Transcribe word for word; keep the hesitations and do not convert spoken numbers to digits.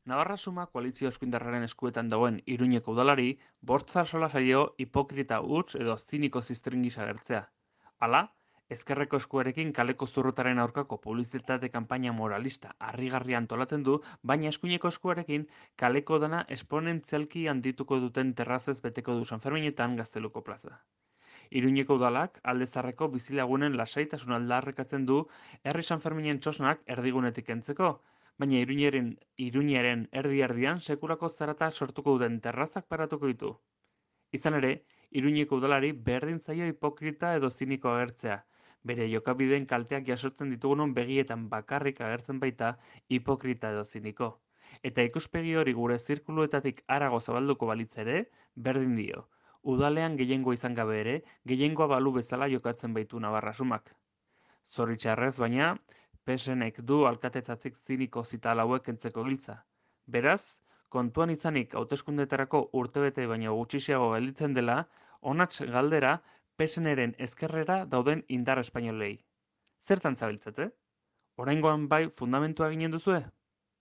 Navarra Suma koalizio eskuindarraren eskuetan dagoen Iruñeko udalari, bost zarzola zaio hipokrita huts edo ziniko ziztrin gisa agertzea. Hala, ezkerreko eskuarekin kaleko zurrutaren aurkako publizitate kanpaina moralista harrigarria antolatzen du, baina eskuineko eskuarekin kaleko dana esponentzialki handituko duten terrazez beteko du Sanferminetan Gazteluko plaza. Iruñeko udalak alde zaharreko bizilagunen lasaitasun aldarrikatzen du herri Sanferminen txosnak erdigunetik kentzeko, baina Iruñeren, Iruñeren erdi-erdian sekulako zarata sortuko duten terrazak paratuko ditu. Izan ere, Iruñeko udalari berdin zaio hipokrita edo ziniko agertzea. Bere jokabideen kalteak jasotzen ditugunon begietan bakarrik agertzen baita hipokrita edo ziniko. Eta ikuspegi hori gure zirkuluetatik harago zabalduko balitz ere, berdin dio. Udalean gehiengoa izan gabe ere, gehiengoa balu bezala jokatzen baitu Navarra Sumak. Zoritxarrez baina, P S Nek du alkatetzatik ziniko zita hauek kentzeko giltza. Beraz, kontuan izanik hauteskundeetarako urtebete baino gutxiago gelditzen dela, honats galdera P S Nren ezkerrera dauden indar espainolei. Zertan zabiltzate? Oraingoan bai fundamentua ginen duzue?